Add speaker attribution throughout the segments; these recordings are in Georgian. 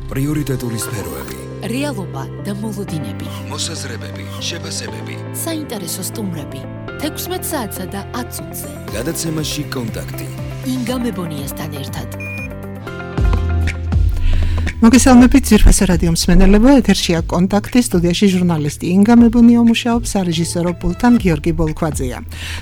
Speaker 1: პრიორიტეტული სფეროები,
Speaker 2: რეალობა და მოლოდინები,
Speaker 1: მოსაზრებები, შეფასებები,
Speaker 2: საინტერესო სტუმრები, 16 საათსა და 10 წუთზე.
Speaker 1: გადაცემაში კონტაქტი.
Speaker 2: ინგა მებონიასთან ერთად.
Speaker 3: მოგესალმებით ძირფასე რადიო მსმენელებო, ეთერშია კონტაქტი, სტუდიაში ჟურნალისტი ინგა მებონია მუშაობს, სარეჟისორო პულტთან გიორგი ბოლქვაძეა.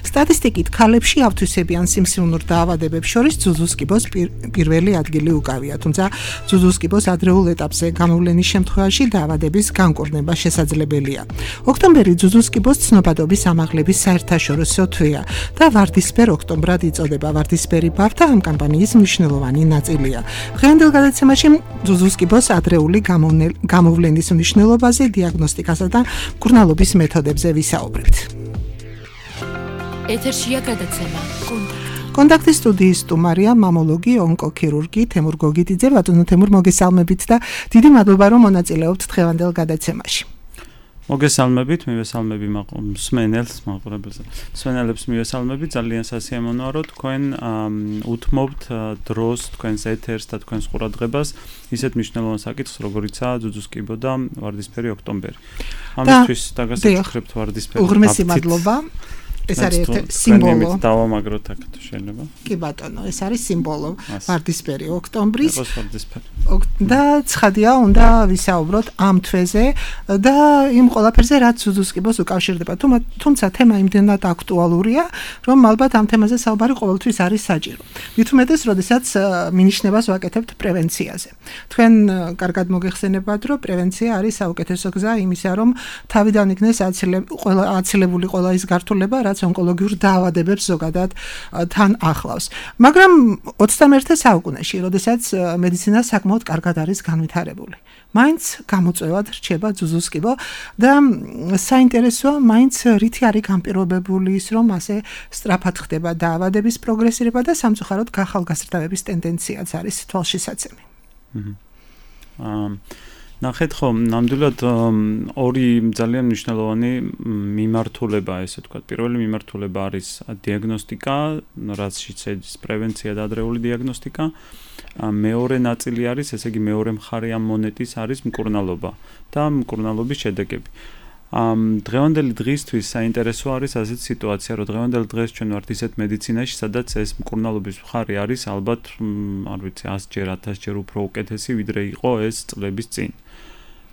Speaker 3: სტატისტიკით ქალებში ავთვისებიან სიმსივნურ დაავადებებს შორის ძუძუსკიბოს პირველი ადგილი უკავია, თუმცა ძუძუსკიბოს ადრეულ ეტაპზე გამოვლენის შემთხვევაში დაავადების განკურნება შესაძლებელია. ოქტომბერი ძუძუსკიბოს ცნობადობის ამაღლების საერთაშორისო თვეა და ვარდისფერ ოქტომბრად იწოდება. ვარდისფერი ბავთა ამ კამპანიის მნიშვნელოვანი ნაწილია. დღევანდელ გადაცემაში ძუძუსკიბოს ადრეული გამოვლენის მნიშვნელობაზე, დიაგნოსტიკასა და მკურნალობის მეთოდებზე ვისაუბრებთ.
Speaker 2: ეთერშია გადაცემა
Speaker 3: კონტაქტის სტუდიის სტუმარია მამოლოგი, ონკოქირურგი თემურ გოგიტიძე. ბატონო თემურ, მოგესალმებით და დიდი მადლობა რომ მონაწილეობთ დღევანდელ გადაცემაში.
Speaker 4: მოგესალმებით, მივესალმები მსმენელებს მივესალმები, ძალიან სასიამოვნოა რომ თქვენ უთმობთ დროს თქვენს ეთერს და თქვენს ყურადღებას ისეთ მნიშვნელოვან საკითხს, როგორიცაა ძუძუსკიბო და ვარდისფერი ოქტომბერი. ამისთვის დაგასაკუთრებთ ვარდისფერი.
Speaker 3: უღრმესი მადლობა. ეს არის სიმბოლო.
Speaker 4: დავამაგროთ აქ თუ შეიძლება.
Speaker 3: კი ბატონო, ეს არის სიმბოლო ვარდისფერი ოქტომბრის.
Speaker 4: ვარდისფერი.
Speaker 3: და ცხადია, უნდა ვისაუბროთ ამ თვეზე და იმ ყველაფერზე, რაც ძუძუსკიბოს უკავშირდება. თუმცა თემა იმდენად აქტუალურია, რომ ალბათ ამ თემაზე საუბარი ყოველთვის არის საჭირო. მით უმეტეს, როდესაც მინიშნებას ვაკეთებთ პრევენციაზე. თქვენ კარგად მოგეხსენებათ, რომ პრევენცია არის საუკეთესო გზა იმისა, რომ თავიდან იქნეს აცილებული ყველა ის გართულება, რაც ონკოლოგიურ დაავადებებს ზოგადად თან ახლავს. მაგრამ 21 საუკუნეში, როდესაც მედიცინა საკმაოდ კარგად არის განვითარებული, მაინც გამოწვევად რჩება ძუძუსკიბო და საინტერესოა, მაინც რითი არის განპირობებული ის, რომ ასე სწრაფად ხდება დაავადების პროგრესირება და სამწუხაროდ გახალგაზრდავების ტენდენციაც არის თვალშისაცემი.
Speaker 4: ნახეთ ხომ, ნამდვილად ორი ძალიან მნიშვნელოვანი მიმართულება, ესე ვთქვათ. პირველი მიმართულება არის დიაგნოსტიკა, რაზეც შედის პრევენცია და ადრეული დიაგნოსტიკა. მეორე ნაწილი არის, ესე იგი მეორე მხარე ამ მონეტის არის მკურნალობა და მკურნალობის შედეგები. დღევანდელი დღისთვის საინტერესო არის ასეთ სიტუაცია, რომ დღევანდელ დღეს ჩვენ ვართ ისეთ მედიცინაში, სადაც ეს მკურნალობის მხარე არის ალბათ, არ ვიცი, 100-ჯერ, 1000-ჯერ უფრო უკეთესი, ვიდრე იყო ეს წლების წინ.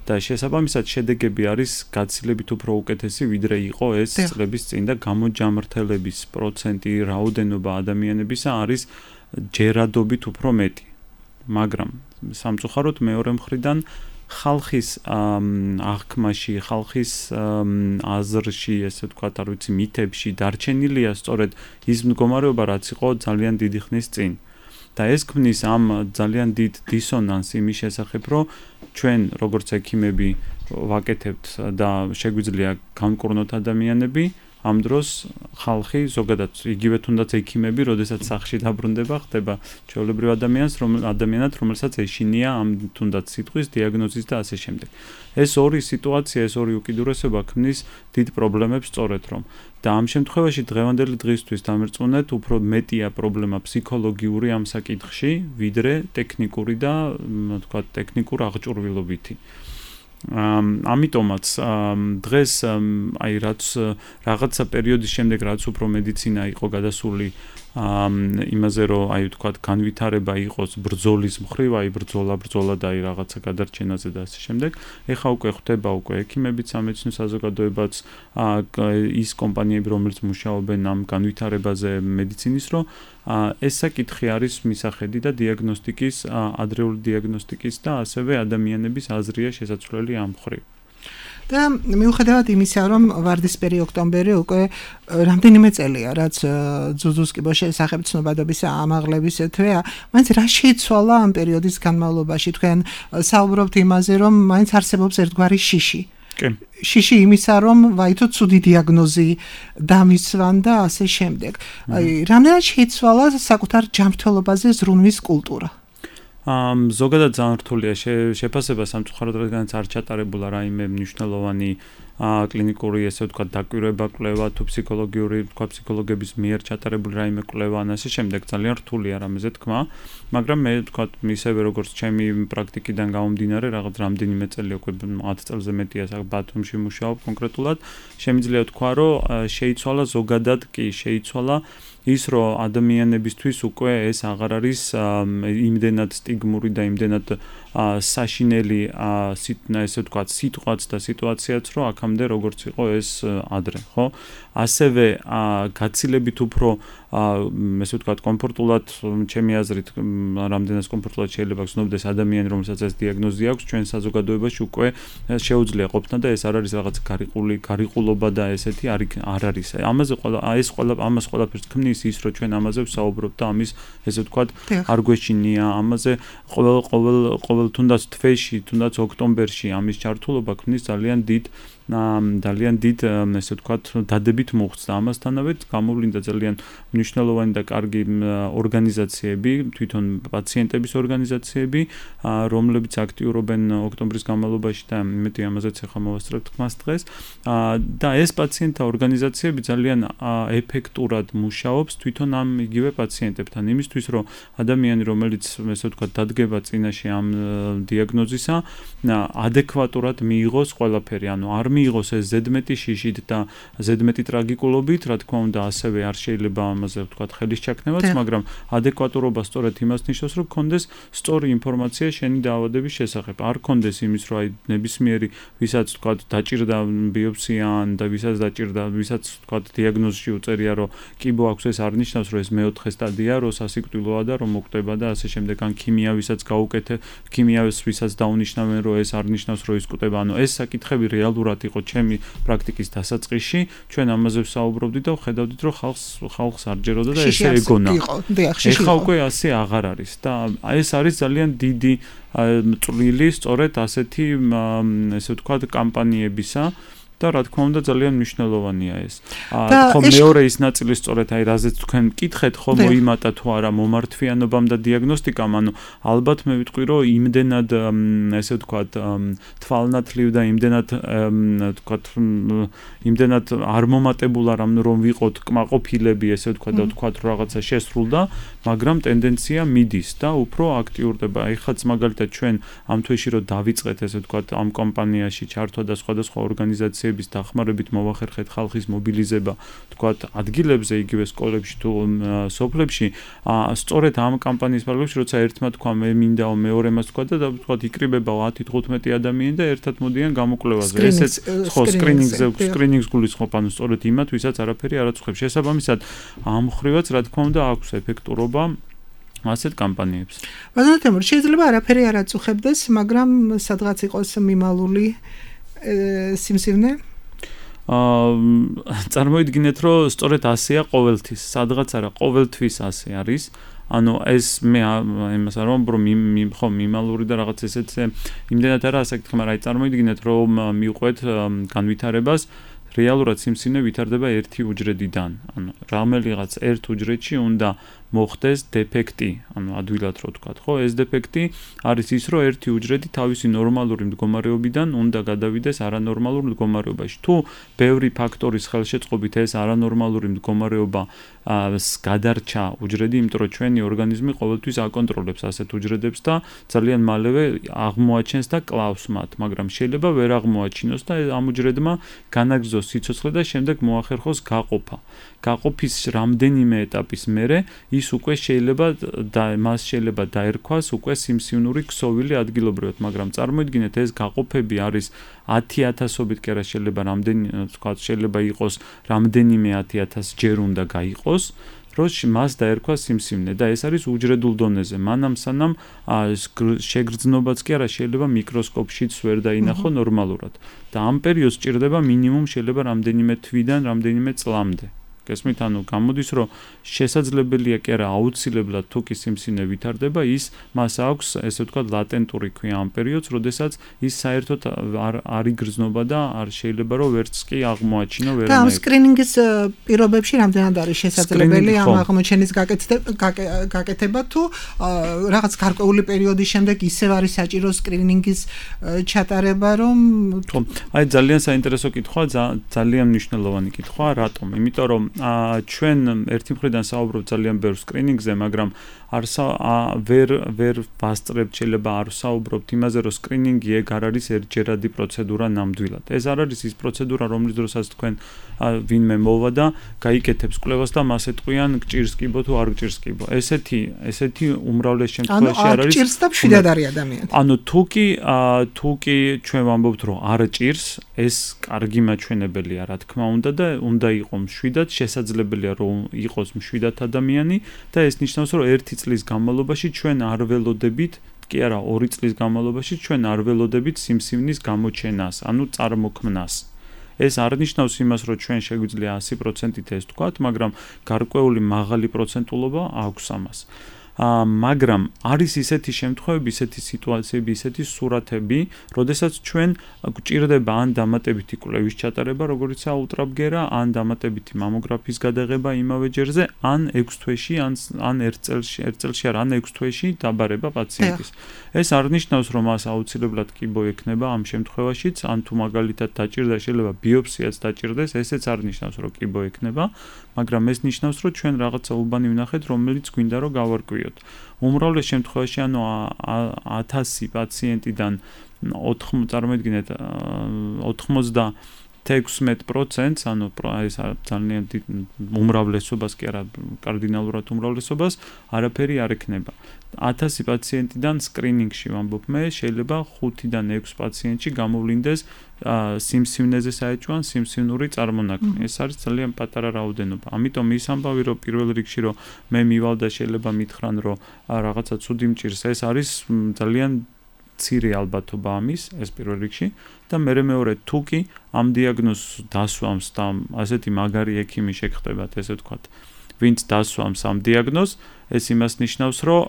Speaker 4: და შესაბამისად შედეგები არის გაცილებით უფრო უკეთესი, ვიდრე იყო ეს წლების წინ და გამოჯამრთელების პროცენტი, რაოდენობა ადამიანებისა არის ჯერადობით უფრო მეტი. მაგრამ სამწუხაროდ მეორე მხრიდან ხალხის აღქმაში, ხალხის აზრში, ესე ვთქვათ, არ ვიცი, მითებში დარჩენილია სწორედ ის მდგომარეობა, რაც იყო ძალიან დიდი ხნის წინ. და ეს ქმნის ამ ძალიან დიდ დისონანსს იმის შესახებ, რომ ჩვენ როგორც ექიმები ვაკეთებთ და შეგვიძლია განკურნოთ ადამიანები, ამ დროს ხალხი ზოგადად იგივე თუნდაც ექიმები, როდესაც სახლში დაბრუნდება, ხდება ჩვეულებრივ ადამიანად, რომელსაც ეშინია ამ თუნდაც სიტყვის დიაგნოზის და ასე შემდეგ. ეს ორი სიტუაცია, ეს ორი უკიდურესობა ქმნის დიდ პრობლემებს სწორედ რომ. და ამ შემთხვევაში დღევანდელი დღისთვის დამერწმუნეთ, უფრო მეტია პრობლემა ფსიქოლოგიური ამ საკითხში, ვიდრე ტექნიკური და თქვათ ტექნიკურ აღჭურვილობითი. ამიტომაც დღეს აი რაც რაღაცა პერიოდის შემდეგ რაც უფრო მედიცინა იყო გადასული იმაზე რომ აი ვთქვათ განვითარება იყოს ბრძოლის მხრივ, აი ბრძოლა და აი რაღაცა გადარჩენაზე და ასე შემდეგ. ეხლა უკვე ხდება უკვე ექიმებიც, სამედიცინო საზოგადოებაც, ის კომპანიები, რომელიც მუშაობენ ამ განვითარებაზე მედიცინის, რომ ეს საკითხი არის მისახედი და დიაგნოსტიკის, ადრეული დიაგნოსტიკის და ასევე ადამიანების აზრია შესაძლებელი ამ მხრივ.
Speaker 3: და მიუხედავად იმისა, რომ ვარდისფერი ოქტომბერი უკვე რამდენიმე წელია, რაც ძუძუსკიბოს შესახებ ცნობადობის ამაღლების თვეა, მაინც რა შეიცვალა ამ პერიოდის განმავლობაში? თქვენ საუბრობთ იმაზე, რომ მაინც არსებობს ერთგვარი შიში. შიში იმისა, რომ ვაითო ცუდი დიაგნოზი დამისვან და ასე შემდეგ. რამდენად შეიცვალა საკუთარ ჯანმრთელობაზე ზრუნვის კულტურა?
Speaker 4: ზოგადად ძალიან რთულია შეფასება სამწუხაროდ, რადგანაც არ ჩატარებულა რაიმე მნიშვნელოვანი კლინიკური, ესე ვთქვათ, დაკვირვება, კვლევა თუ ფსიქოლოგიური, ვთქვათ, ფსიქოლოგების მიერ ჩატარებული რაიმე კვლევა ან ასე შემდეგ, ძალიან რთულია რამეზე თქმა, მაგრამ მე თქვა ისევე როგორც ჩემი პრაქტიკიდან გამომდინარე, რაღაც რამდენიმე წელი უკვე 10 წელზე მეტია ბათუმში მუშაობ კონკრეტულად, შემიძლია თქვა, რომ შეიცვალა ზოგადად კი, შეიცვალა ის რომ ადამიანებისთვის უკვე ეს აღარ არის იმდენად სტიგმური და იმდენად საშინელი ესე ვთქვათ სიტყვაც და სიტუაციაც რომ აქამდე როგორც იყო ეს ადრე, ხო? ასევე გაცილებით უფრო ესე ვთქვათ კომფორტულად ჩემი აზრით რამდენად კომფორტულად შეიძლება გრძნობდეს ადამიანი რომელსაც ეს დიაგნოზი აქვს ჩვენ საზოგადოებაში უკვე შეუძლია ყოფნა და ეს არ არის რაღაც გარიყულობა და ესეთი არ არის ამას ყველაფერს ქმნის ის რომ ჩვენ ამაზე ვსაუბრობთ და ამის ესე ვთქვათ არ გვეშინია ამაზე ყოველ თუნდაც თვეში თუნდაც ოქტომბერში ამის ჩართულობა ქმნის ძალიან დიდ ესე ვთქვათ დადებით მოხდა ამასთანავე გამოვლინდა ძალიან მნიშვნელოვანი და კარგი ორგანიზაციები თვითონ პაციენტების ორგანიზაციები რომლებიც აქტიურობენ ოქტომბრის განმავლობაში და მეტი ამაზეც ახლა მოვასწრებთ თქმას დღეს და ეს პაციენტთა ორგანიზაციები ძალიან ეფექტურად მუშაობს თვითონ ამ იგივე პაციენტებთან იმისთვის რომ ადამიანი რომელიც ესე ვთქვათ დადგება წინაშე ამ დიაგნოზისა ადეკვატურად მიიღოს ყველაფერი ანუ არ მიიღოს ეს ზედმეტი შიშით და ზედმეტი ტრაგიკულობით, რა თქმა უნდა, ასევე არ შეიძლება ამაზე ვთქვათ ხელის ჩაქნევაც, მაგრამ ადეკვატურობა სწორედ იმას ნიშნავს, რომ გქონდეს სწორი ინფორმაცია შენი დაავადების შესახებ. არ გქონდეს იმის, რომ აი ნებისმიერი, ვისაც ვთქვათ დაჭირდა ბიოპსია და ვისაც დაჭირდა, ვისაც ვთქვათ დიაგნოზში უწერია, რომ კიბო აქვს, ეს არ ნიშნავს, რომ ეს მეოთხე სტადია, რომ სასიკვდილოა და რომ მოკვდება და ასე შემდეგ. ან ქიმია, ვისაც გაუკეთე, ქიმიას ვისაც დაუნიშნავენ, რომ ეს არ ნიშნავს, რომ ის კვდება. ანუ ეს საკითხები რეალურად იყო ჩემი პრაქტიკის დასაწყისში, ჩვენ ამაზე ვსაუბრობდით და ვხედავდით, რომ ხალხს არ ჯეროდა და ესე ეგონა. ეხლა უკვე ასე აღარ არის და ეს არის ძალიან დიდი წვლილი სწორედ ასეთი ესე ვთქვათ კამპანიებისა და რა თქმა უნდა ძალიან მნიშვნელოვანია ეს. ხო მეორე ის ნაწილი სწორედ აი რაზეც თქვენ მკითხეთ ხო მოიმატა თუ არა მომართვიანობამ და დიაგნოსტიკამ, ანუ ალბათ მე ვიტყვი რომ იმდენად ესე ვთქვათ თვალნათლივ და იმდენად ვთქვათ იმდენად არ მომატებულ არ რომ ვიყოთ კმაყოფილები ესე ვთქვათ და ვთქვათ რომ რაღაცა შესრულდა, მაგრამ ტენდენცია მიდის და უფრო აქტიურდება. ეხლაც მაგალითად ჩვენ ამ თვეში რომ დავიწყეთ ესე ვთქვათ ამ კომპანიაში ჩართვა და სხვადასხვა ორგანიზაციების დახმარებით მოვახერხეთ ხალხის მობილიზება, ვთქვათ ადგილებზე, იგივე სკოლებში თუ სოფლებში, სწორედ ამ კამპანიის პარალელში, როცა ერთმა თქვა მე მინდაო მეორემაც თქვა და ვთქვათ იკრიბება 10-15 ადამიანი და ერთად მოდიან გამოკვლევაზე. ესეც ხო სკრინინგს გულისხმობ, ანუ სწორედ იმათ, ვისაც არაფერი არ აწუხებს. შესაბამისად, ამ ხრივაც რა თქმა უნდა აქვს ეფექტურობა ასეთ კამპანიებს.
Speaker 3: ბატონო თემურ, შეიძლება არაფერი არ აწუხებდეს, მაგრამ სადღაც იყოს მიმალული სიმსივნე?
Speaker 4: წარმოიდგინეთ, რომ სწორედ ასეა ყოველთვის, სადღაც არა, ყოველთვის ასე არის. ანუ ეს მე იმას არ ვამბობ, რომ მიმალური და რაღაც ესეც იმდენად არა საკითხი, მაგრამ აი წარმოიდგინეთ, რომ მიყვეთ განვითარებას რეალურად სიმსივნე ვითარდება ერთი უჯრედიდან. ანუ რომელიღაც ერთ უჯრედში უნდა მოხდეს დეფექტი, ანუ ადვილად რო ვთქვათ, ხო, ეს დეფექტი არის ის, რომ ერთი უჯრედი თავისი ნორმალური მდგომარეობიდან უნდა გადავიდეს არანორმალურ მდგომარეობაში. თუ ბევრი ფაქტორის ხელშეწყობით ეს არანორმალური მდგომარეობა გადარჩა უჯრედი, იმიტომ რომ ჩვენი ორგანიზმი ყოველთვის აკონტროლებს ასეთ უჯრედებს და ძალიან მალევე აღმოაჩენს და კლავს მათ, მაგრამ შეიძლება ვერ აღმოაჩინოს და ამ უჯრედმა განაგრძოს სიცოცხლე და შემდეგ მოახერხოს გაყოფა. გაყოფის რამდენიმე ეტაპის მერე ის უკვე შეიძლება და მას შეიძლება დაერქვას უკვე სიმსივნური ქსოვილი ადგილობრივად, მაგრამ წარმოიდგინეთ ეს გაყოფები არის 10,000-ობით კი არა შეიძლება შეიძლება იყოს რამდენიმე 10,000 ჯერ უნდა გაიყოს, რომ მას დაერქვა სიმსივნე და ეს არის უჯრედულ დონეზე. მანამ სანამ შეგრძნობაც კი არა შეიძლება მიკროსკოპშიც ვერ დაინახო ნორმალურად და ამ პერიოდს სჭირდება მინიმუმ შეიძლება რამდენიმე თვიდან რამდენიმე წლამდე. გესმით, ანუ გამოდის, რომ შესაძლებელია კი არა აუცილებლად თუ კი სიმსივნე ვითარდება, ის მას აქვს ესე ვთქვათ ლატენტური ქვია ამ პერიოდს, როდესაც ის საერთოდ არ იგრძნობა და არ შეიძლება რომ ვერც კი აღმოაჩინო ვერანაირად.
Speaker 3: და ამ სკრინინგის პირობებში რამდენად არის შესაძლებელი ამ აღმოჩენის გაკეთება თუ რაღაც გარკვეული პერიოდის შემდეგ ისევ არის საჭირო სკრინინგის ჩატარება, რომ
Speaker 4: აი ძალიან საინტერესო კითხვა, ძალიან მნიშვნელოვანი კითხვა, რატომ? იმიტომ რომ ჩვენ ერთი მხრიდან საუბრობთ ძალიან ბევრ სკრინინგზე, მაგრამ ვერ ვასწრებთ, შეიძლება არ საუბრობთ იმაზე, რომ სკრინინგი ეგ არ არის ერთჯერადი პროცედურა ნამდვილად. ეს არ არის ის პროცედურა, რომლის დროსაც თქვენ ვინმე მოვა და გაიკეთებს კვლევას და მას ეტყვიან გჭირს კიბო თუ არ გჭირს კიბო. ესეთი უმრავლეს შემთხვევაში არ არის.
Speaker 3: გჭირს და მშვიდად არის ადამიანი.
Speaker 4: ანუ თუ კი ჩვენ ვამბობთ, რომ არ ჭირს, ეს კარგი მაჩვენებელია, რა თქმა უნდა და უნდა იყოს მშვიდად, შესაძლებელია რომ იყოს მშვიდად ადამიანი და ეს ნიშნავს, რომ 1 წლის განმავლობაში ჩვენ არ ველოდებით, კი არა, 2 წლის განმავლობაში ჩვენ არ ველოდებით სიმსივნის გამოჩენას, ანუ წარმოქმნას. ეს არ ნიშნავს იმას, რომ ჩვენ შეგვიძლია 100%-ით ეს თქვათ, მაგრამ გარკვეული მაღალი პროცენტულობა აქვს ამას. მაგრამ არის ისეთი შემთხვევები, ისეთი სიტუაციები, ისეთი სურათები, როდესაც ჩვენ გვჭირდება ან დამატებითი კვლევის ჩატარება, როგორიც აულტრაბგერა, ან დამატებითი მამოგრაფიის გადაღება იმავე ჯერზე, ან 6 თვეში, ან 1 წელში, ან 6 თვეში დაბარება პაციენტის. ეს არ ნიშნავს, რომ მას აუცილებლად კიბო ექნება ამ შემთხვევაშიც, ან თუ მაგალითად დაჭირდა, შეიძლება ბიოპსიაც დაჭირდეს, ესეც არ ნიშნავს, რომ კიბო ექნება, მაგრამ ეს ნიშნავს, რომ ჩვენ რაღაცა უბანი ვნახეთ, რომელიც გვინდა რომ გავარკვიოთ. უმრავლეს შემთხვევაში, ანუ 1000 პაციენტიდან 96%, ანუ ეს ძალიან უმრავლესობას კი არა, კარდინალურად უმრავლესობას არაფერი არ ექნება. 1000 პაციენტიდან სკრინინგში ვამბობ მე, შეიძლება 5-დან 6 პაციენტში გამოვლინდეს სიმსივნეზე საეჭვან სიმსივნური წარმონაქმნი. ეს არის ძალიან პატარა რაოდენობა. ამიტომ ის ამბავი, რომ პირველ რიგში რომ მე მივალ და შეიძლება მითხრან, რომ რაღაცა ცუდი მჭირს, ეს არის ძალიან მცირე ალბათობა ამის, ეს პირველ რიგში და მეორე თუ კი ამ დიაგნოზს დასვამს და ასეთი მაგარი ექიმი შეგხვდებათ, ესე ვთქვათ, ვინც დასვამს ამ დიაგნოზს, ეს იმას ნიშნავს, რომ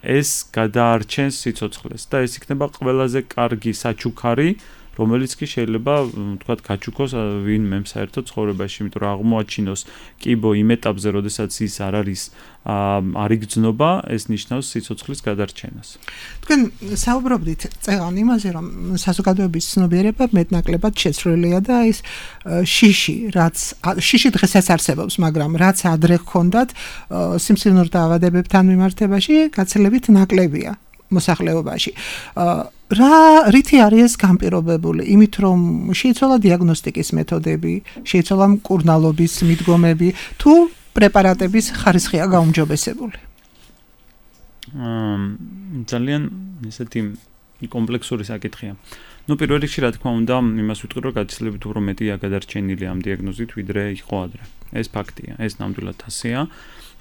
Speaker 4: ეს გადაარჩენს სიცოცხლეს და ეს იქნება ყველაზე კარგი საჩუქარი, რომელიც კი შეიძლება, ვთქვათ, გაჩუქოს ვინმე საერთოდ ცხოვრებაში, იმიტომ რომ აღმოაჩინოს კიბო იმ ეტაპზე, როდესაც ის არ იგრძნობა, ეს ნიშნავს სიცოცხლის გადარჩენას.
Speaker 3: თქვენ საუბრობდით წეღან იმაზე, რომ საზოგადოების ცნობიერება მეტნაკლებად შეცვლილია და ის შიში დღესაც არსებობს, მაგრამ რაც ადრე ჰქონდათ სიმსივნურ დაავადებებთან მიმართებაში გაცილებით ნაკლებია მოსახლეობაში. რითი არის ეს განპირობებული? იმით, რომ შეიცვალა დიაგნოსტიკის მეთოდები, შეიცვალა მკურნალობის მიდგომები, თუ პრეპარატების ხარისხია გაუმჯობესებული?
Speaker 4: ძალიან ესეთი კომპლექსური საკითხია. პირველ რიგში, რა თქმა უნდა, იმას ვიტყვი, რომ გაცილებით უფრო მეტია გადარჩენილი ამ დიაგნოზით, ვიდრე იყო ადრე. ეს ფაქტია, ეს ნამდვილად ასეა.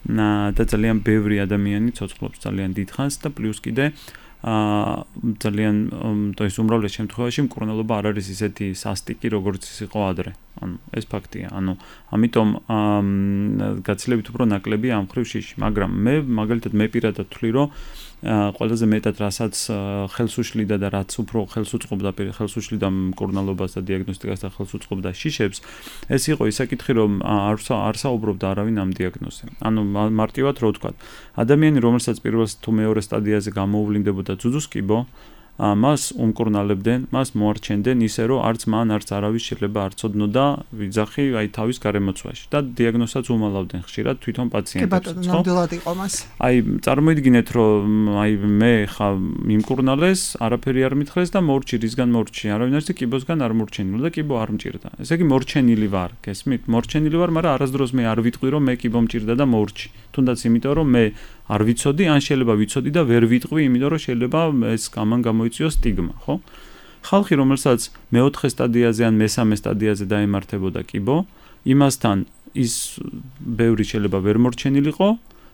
Speaker 4: და ძალიან ბევრი ადამიანი ცოცხლობს ძალიან დიდ ხანს და პლუს კიდე ძალიან ის უმრავლეს შემთხვევაში მკურნალობა არ არის ისეთი სასტიკი, როგორც ის იყო ადრე. ანუ ეს ფაქტია. ანუ ამიტომ გაცილებით უფრო ნაკლები ამ ხრივ შიში, მაგრამ მე მაგალითად მე პირადად ვთვლი, რომ ყველაზე მეტად რასაც ხელს უშლიდა და რაც უფრო ხელს უწყობდა მკურნალობას და დიაგნოსტიკას და ხელს უწყობდა შიშებს, ეს იყო ის საკითხი, რომ არ საუბრობდა არავინ ამ დიაგნოზზე. ანუ მარტივად რო ვთქვათ, ადამიანი, რომელსაც პირველ თუ მეორე სტადიაზე გამოუვლინდებოდა ძუძუს კიბო, მას უმკურნალებდნენ, მას მოარჩენდნენ ისე, რომ არც მან, არც არავის შეიძლება არ ცოდნოდა ვიძახი თავის გარემოცვაში და დიაგნოზსაც უმალავდნენ ხშირად თვითონ პაციენტებს.
Speaker 3: ნამდვილად იყო მას.
Speaker 4: წარმოიდგინეთ, რომ მე ხა მიმკურნალეს, არაფერი არ მითხრეს და მორჩი, რისგან მორჩი, არავინ არის კიბოსგან არ მორჩენილი და კიბო არ მჭირდა. ესე იგი მორჩენილი ვარ, გესმით? მორჩენილი ვარ, მაგრამ არასდროს მე არ ვიტყვი, რომ მე კიბო მჭირდა და მორჩი. თუნდაც იმიტომ, რომ მე არ ვიცოდი, ან შეიძლება ვიცოდი და ვერ ვიტყვი, იმიტომ რომ შეიძლება ეს ამან გამოიწვიოს სტიგმა, ხო? ხალხი, რომელსაც მეოთხე სტადიაზე ან მესამე სტადიაზე დაემართებოდა კიბო, იმასთან ის ბევრი შეიძლება ვერ მორჩენილიყო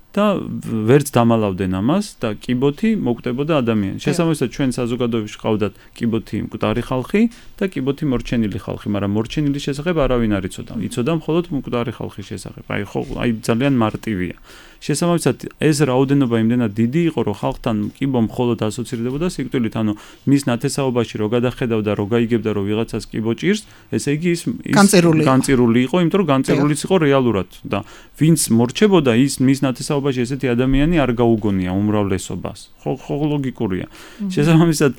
Speaker 4: და ვერც დამალავდნენ ამას და კიბოთი მოკვდებოდა ადამიანს. შესაბამისად, ჩვენ საზოგადოებაში ყავდათ კიბოთი მკვდარი ხალხი და კიბოთი მორჩენილი ხალხი, მაგრამ მორჩენილი შესახებ არავინ არ იცოდა. იცოდა მხოლოდ მკვდარი ხალხის შესახებ. ხო, ძალიან მარტივია. შესაბამისად ეს რაოდენობა იმდენად დიდი იყო, რომ ხალხთან კიბო მხოლოდ ასოცირდებოდა სიკვდილით, ანუ მის ნათესაობაში რო გადახედავდა, რო გაიგებდა, რომ ვიღაცას კიბო ჭირს, ესე იგი ის განწირული იყო, იმიტომ რომ განწირულიც იყო რეალურად და ვინც მორჩებოდა ის მის ნათესაობაში ესეთი ადამიანი არ გაუგონია უმრავლესობას. ხო ლოგიკურია. შესაბამისად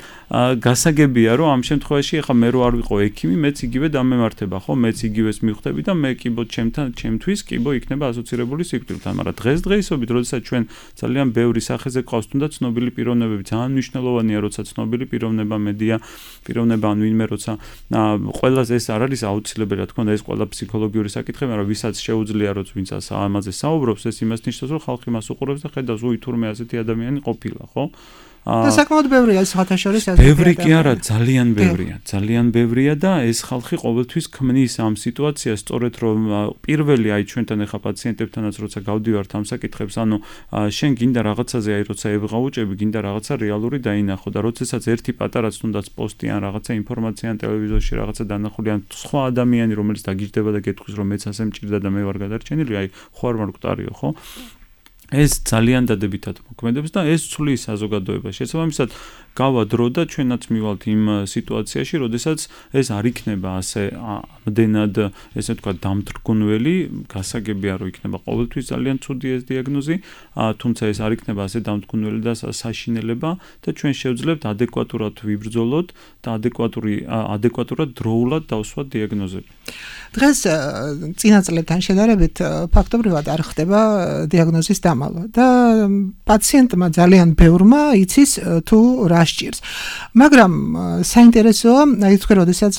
Speaker 4: გასაგებია, რომ ამ შემთხვევაში ახლა მე რო არ ვიყო ექიმი, მეც იგივე დამემართება, ხო, მეც იგივეს მივხვდები და მე კიბო ჩემთვის კიბო იქნება ასოცირებული სიკვდილთან, მაგრამ დღესდღეობით, როდესაც ჩვენ ძალიან ბევრი სახეზე გვყავს თუნდაც ცნობილი პიროვნებები, ძალიან მნიშვნელოვანია, როცა ცნობილი პიროვნება მედია, პიროვნება ან ვინმე როცა ყველას ეს არ არის აუცილებელი, რა თქმა უნდა, ეს ყველა ფსიქოლოგიური საკითხი, მაგრამ ვისაც შეუძლია, რომ ვინც ამაზე საუბრობს, ეს იმას ნიშნავს, რომ ხალხი მას უყურებს და ხედავს, უი თურმე ასეთი ადამიანი ყოფილა, ხო?
Speaker 3: და საკმაოდ ბევრია სხვათა შორის ასეთი.
Speaker 4: ბევრი კი არა, ძალიან ბევრია და ეს ხალხი ყოველთვის ქმნის ამ სიტუაციას, სწორედ რომ პირველი აი ჩვენთან ახლა პაციენტებთანაც როცა გავდივართ ამ საკითხებს, ანუ შენ გინდა რაღაცაზე აი როცა ევღაუჭები, გინდა რაღაცა რეალური დაინახო და როდესაც ერთი პატარაც თუნდაც პოსტი ან რაღაცა ინფორმაცია ან ტელევიზორში რაღაცა დანახული ან სხვა ადამიანი რომელიც დაგიჯდება და გეტყვის რომ მეც ასე მჭირდა და მე ვარ გადარჩენილი, აი ხო არ მარკვტარიო, ხო? ეს ძალიან დადებითად მოქმედებს და ეს ცვლის საზოგადოებას. შესაბამისად, გავა დრო და ჩვენაც მივალთ იმ სიტუაციაში, როდესაც ეს არ იქნება ასე ამდენად, ესე ვთქვათ, დამთრგუნველი, გასაგებია, რომ იქნება ყოველთვის ძალიან ცუდი ეს დიაგნოზი, თუმცა ეს არ იქნება ასე დამთრგუნველი და საშინელება და ჩვენ შევძლებთ ადეკვატურად ვიბრძოლოთ და ადეკვატურად დროულად დავსვათ დიაგნოზები.
Speaker 3: დღეს წინა წლებთან შედარებით ფაქტობრივად არ ხდება დიაგნოზის დამალვა და პაციენტმა ძალიან ბევრმა იცის თუ რა სჭირს. მაგრამ საინტერესოა, აი თქვენ როდესაც